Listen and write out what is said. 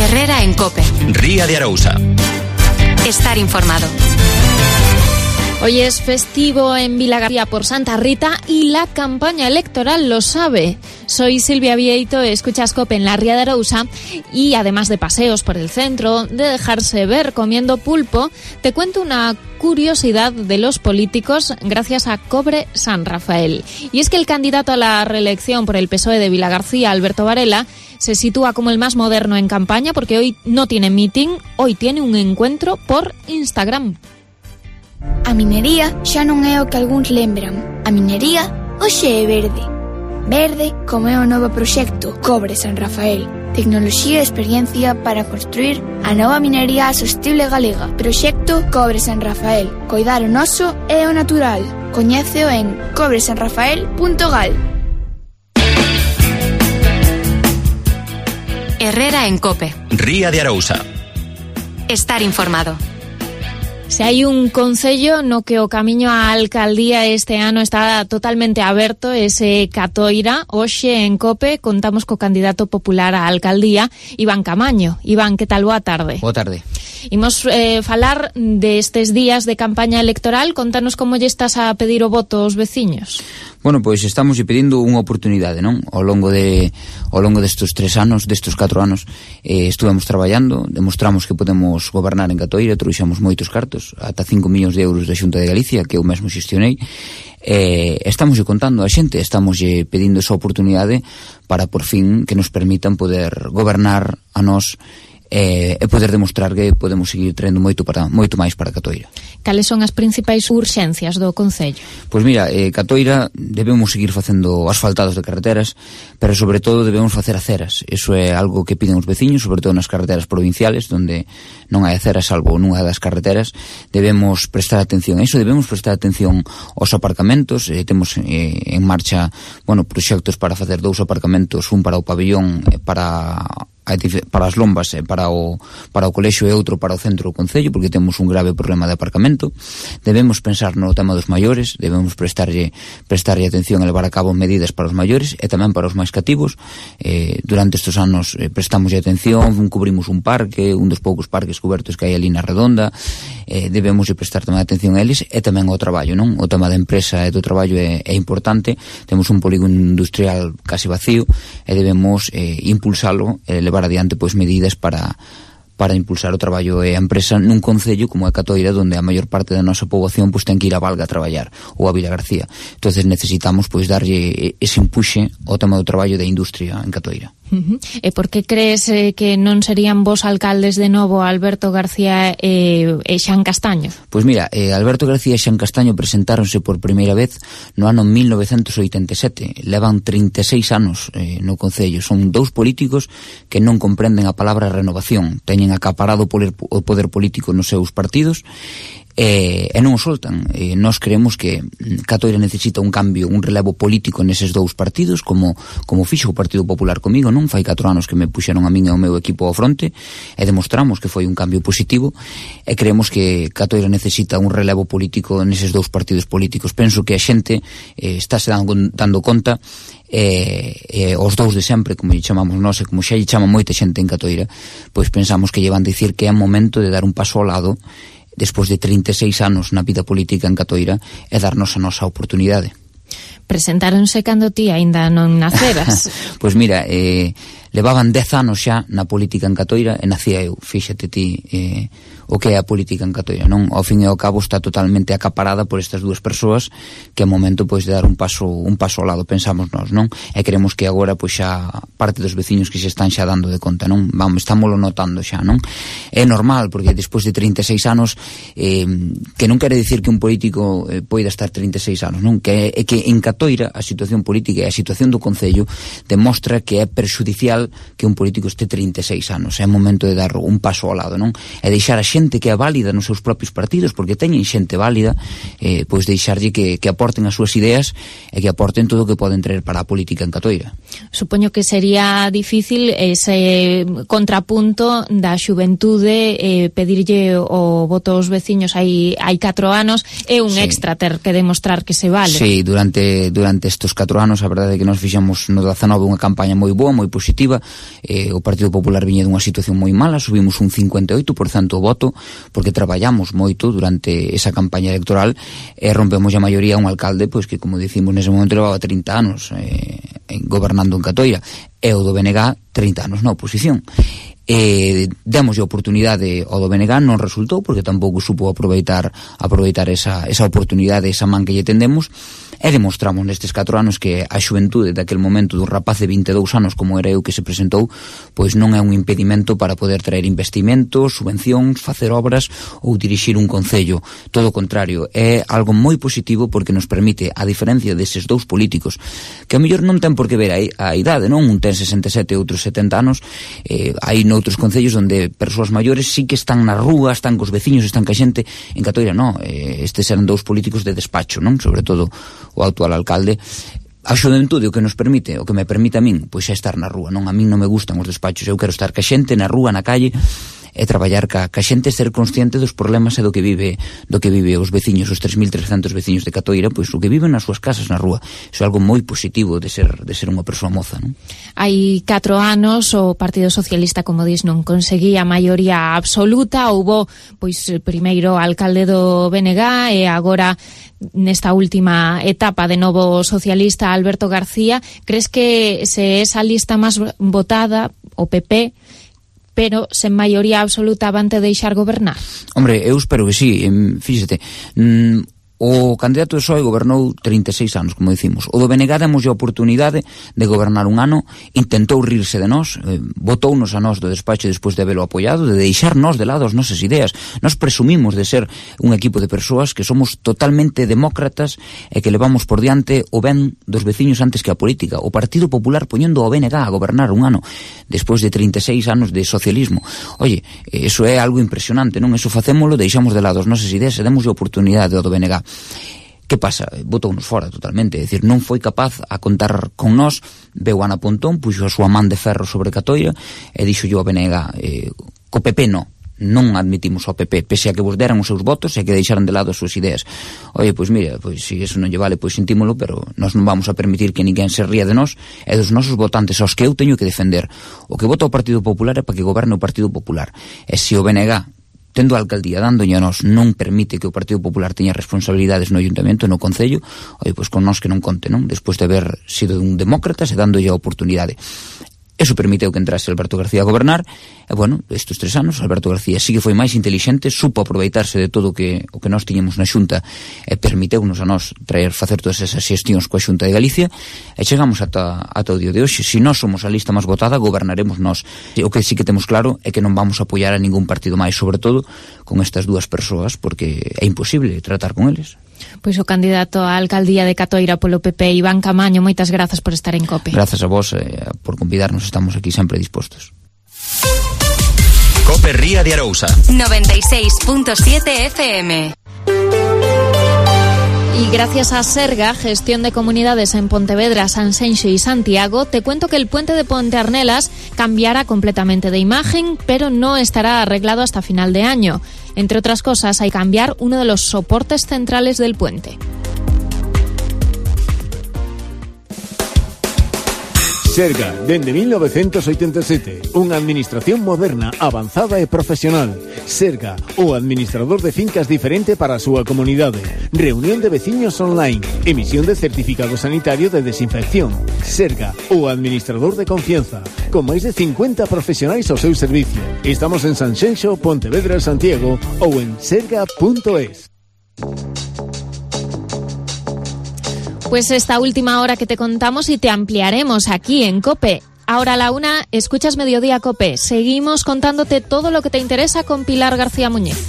Herrera en COPE. Ría de Arousa. Estar informado. Hoy es festivo en Vilagarcía por Santa Rita y la campaña electoral lo sabe. Soy Silvia Vieito, escuchas COPE en la Ría de Arousa y además de paseos por el centro, de dejarse ver comiendo pulpo, te cuento una curiosidad de los políticos gracias a Cobre San Rafael. Y es que el candidato a la reelección por el PSOE de Vilagarcía, Alberto Varela, se sitúa como el más moderno en campaña porque hoy no tiene meeting, hoy tiene un encuentro por Instagram. A minería xa non é o que algúns lembran. A minería hoxe é verde. Verde como é o novo proxecto Cobre San Rafael. Tecnoloxía e experiencia para construir a nova minería sostible galega. Proxecto Cobre San Rafael. Coidar o noso e o natural. Coñéceo en cobresanrafael.gal. Herrera en COPE. Ría de Arousa. Estar informado. Se hai un concello no que o camiño á alcaldía este ano está totalmente aberto, ese Catoira. Hoxe en COPE contamos co candidato popular á alcaldía, Iván Camaño. Iván, que tal? Boa tarde. Boa tarde. Imos falar destes días de campaña electoral. Contanos como lle estás a pedir o voto aos veciños. Bueno, pois estamos pedindo unha oportunidade, non? Ao longo destes 4 anos, estuvemos traballando, demostramos que podemos gobernar en Catoira, trouxemos moitos cartos, ata 5 millóns de euros da Xunta de Galicia, que eu mesmo xestionei. Estamos contando a xente, estamos pedindo esa oportunidade para por fin que nos permitan poder gobernar a nós e poder demostrar que podemos seguir traendo moito máis para Catoira. Cales son as principais urxencias do concello? Pois mira, Catoira debemos seguir facendo asfaltados de carreteras, pero sobre todo debemos facer aceras. Eso é algo que piden os veciños, sobre todo nas carreteras provinciales, onde non hai aceras, salvo nunha das carreteras. Debemos prestar atención a iso, debemos prestar atención aos aparcamentos. Temos en marcha, proxectos para facer 2 aparcamentos, un para o pabellón, para as lombas, para o colexio e outro para o centro do concello, porque temos un grave problema de aparcamento. Debemos pensar no tema dos maiores, debemos prestarlle atención e levar a cabo medidas para os maiores e tamén para os máis cativos. Durante estes anos prestamos atención, cubrimos un parque, un dos poucos parques cobertos que hai ali na Redonda. Debemos prestar tamén atención a eles e tamén ao traballo, non? O tema da empresa e do traballo é importante. Temos un polígono industrial casi vacío e debemos impulsalo, levar adiante medidas para impulsar o traballo e a empresa nun concello como é Catoira, onde a maior parte da nosa poboación ten que ir a Valga a traballar ou a Vilagarcía. Entonces necesitamos darlle ese empuxe ao tema do traballo da industria en Catoira. E por que crees que non serían vos alcaldes de novo Alberto García e Xan Castaño? Pois mira, Alberto García e Xan Castaño presentáronse por primeira vez no ano 1987. Levan 36 anos no concello. Son 2 políticos que non comprenden a palabra renovación. Teñen acaparado o poder político nos seus partidos e non o soltan. Nós creemos que Catoira necesita un cambio, un relevo político neses 2 partidos, como fixo o Partido Popular comigo, non? Fai 4 anos que me puxeron a min e ao meu equipo ao fronte e demostramos que foi un cambio positivo e creemos que Catoira necesita un relevo político neses 2 partidos políticos. Penso que a xente estáse dando conta os 2 de sempre, como lle chamamos nós e como xa lle chama moita xente en Catoira, pois pensamos que lle van dicir que é momento de dar un paso ao lado despois de 36 anos na vida política en Catoira e darnos a nosa oportunidade. Presentáronse cando ti aínda non naceras. Pois mira, levaban 10 anos xa na política en Catoira e nacía eu, fíxate ti o que é a política en Catoira, non? Ao fin e ao cabo está totalmente acaparada por estas 2 persoas que é momento de dar un paso ao lado, pensamos nós, non? E creemos que agora xa parte dos veciños que se están xa dando de conta, non? Estámoslo notando xa, non? É normal, porque despois de 36 anos que non quere dicir que un político poida estar 36 anos, non? Que é que en Catoira a situación política e a situación do concello demostra que é perxudicial que un político este 36 anos. É momento de dar un paso ao lado, non? E deixar a xente que é válida nos seus propios partidos, porque teñen xente válida, deixarlle que aporten as súas ideas e que aporten todo o que poden traer para a política en Catoira. Supoño que sería difícil ese contrapunto da xuventude, pedirlle o voto aos veciños hai 4 anos, é un extra ter que demostrar que se vale. Sí, durante durante estes 4 anos. A verdade é que nos fixamos no 19 unha campaña moi boa, moi positiva. O Partido Popular viña dunha situación moi mala, subimos un 58% o voto, porque traballamos moito durante esa campaña electoral e rompemos a maioría un alcalde pois que, como dicimos, nese momento levaba 30 anos gobernando en Catoira, e o do BNG 30 anos na oposición. Demos a oportunidade ao do BNG, non resultou porque tampouco supo aproveitar esa oportunidade, esa man que lle tendemos, e demostramos nestes 4 anos que a xuventude daquel momento dun rapaz de 22 anos como era eu que se presentou, pois non é un impedimento para poder traer investimentos, subvencións, facer obras ou dirixir un concello. Todo o contrario, é algo moi positivo porque nos permite, a diferencia deses dous políticos que a mellor non ten por que ver a idade, non? Un ten 67 e outros 70 anos, hai noutros concellos onde persoas maiores sí que están na rúa, están cos veciños, están ca xente. En Catoira non, estes eran dous políticos de despacho, non? Sobre todo o actual alcalde. A xuventude o que nos permite, o que me permite a min, pois é estar na rúa, non? A min non me gustan os despachos, eu quero estar ca xente na rúa, na calle, e traballar ca xente, ser consciente dos problemas e do que vive os veciños, os 3.300 veciños de Catoira, pois o que viven nas súas casas na rúa. Iso é algo moi positivo de ser unha persoa moza, non? Hai 4 anos o Partido Socialista, como dis, non conseguía a maioría absoluta. Houbo, pois, primeiro alcalde do BNG e agora nesta última etapa de novo socialista Alberto García. Crees que se esa lista máis votada, o PP, pero sen maioría absoluta, van te deixar gobernar? Hombre, eu espero que sí. Fíxate, o candidato de PSOE gobernou 36 anos, como dicimos. O do BNG demos a oportunidade de gobernar un ano, intentou rirse de nós, votounos a nós do despacho despois de habelo apoiado, de deixarnos de lado as nosas ideas. Nos presumimos de ser un equipo de persoas que somos totalmente demócratas e que levamos por diante o ben dos veciños antes que a política. O Partido Popular poñendo o BNG a gobernar un ano despois de 36 anos de socialismo. Oye, eso é algo impresionante, non? Eso facémolo, deixamos de lado as nosas ideas e demos a oportunidade ao do BNG. Que pasa? Botounos fora totalmente, é dicir, non foi capaz a contar con nós. Veu Ana Pontón, puxo a súa man de ferro sobre Catoira e dixo yo a BNG, co PP non admitimos ao PP, pese a que vos deran os seus votos e que deixaran de lado as súas ideas. Oye, pois mira, pois se iso non lle vale, pois sentímolo, pero nós non vamos a permitir que ninguén se ría de nós e dos nosos votantes aos que eu teño que defender. O que vota o Partido Popular é para que goberne o Partido Popular, e se o BNG tendo a alcaldía dándolle a nós non permite que o Partido Popular teña responsabilidades no Ayuntamento, no Concello, pois con nós que non conte, non? Despois de haber sido un demócrata e dándolle a oportunidade. Eso permiteu que entrase Alberto García a gobernar, e, bueno, estes 3 anos, Alberto García sí que foi máis intelixente, supo aproveitarse de todo o que nós tiñamos na Xunta e permiteunos a nós facer todas esas xestións coa Xunta de Galicia, e chegamos ata o día de hoxe. Se nós somos a lista máis votada, gobernaremos nós. O que sí que temos claro é que non vamos a apoiar a ningún partido máis, sobre todo con estas dúas persoas, porque é imposible tratar con eles. Pois o candidato á alcaldía de Catoira polo PP, Iván Camaño, moitas grazas por estar en COPE. Grazas a vos por convidarnos, estamos aquí sempre dispostos. COPE Ría de Arousa 96.7 FM. Y gracias a Serga, gestión de comunidades en Pontevedra, Sanxenxo y Santiago, te cuento que el puente de Ponte Arnelas cambiará completamente de imagen, pero no estará arreglado hasta final de año. Entre otras cosas, hay que cambiar uno de los soportes centrales del puente. Serga, dende 1987, unha administración moderna, avanzada e profesional. Serga, o administrador de fincas diferente para a súa comunidade. Reunión de veciños online. Emisión de certificado sanitario de desinfección. Serga, o administrador de confianza. Con máis de 50 profesionais ao seu servicio. Estamos en Sanxenxo, Pontevedra, Santiago ou en serga.es. Pues esta última hora que te contamos y te ampliaremos aquí en COPE. Ahora a la 1, escuchas Mediodía COPE. Seguimos contándote todo lo que te interesa con Pilar García Muñiz.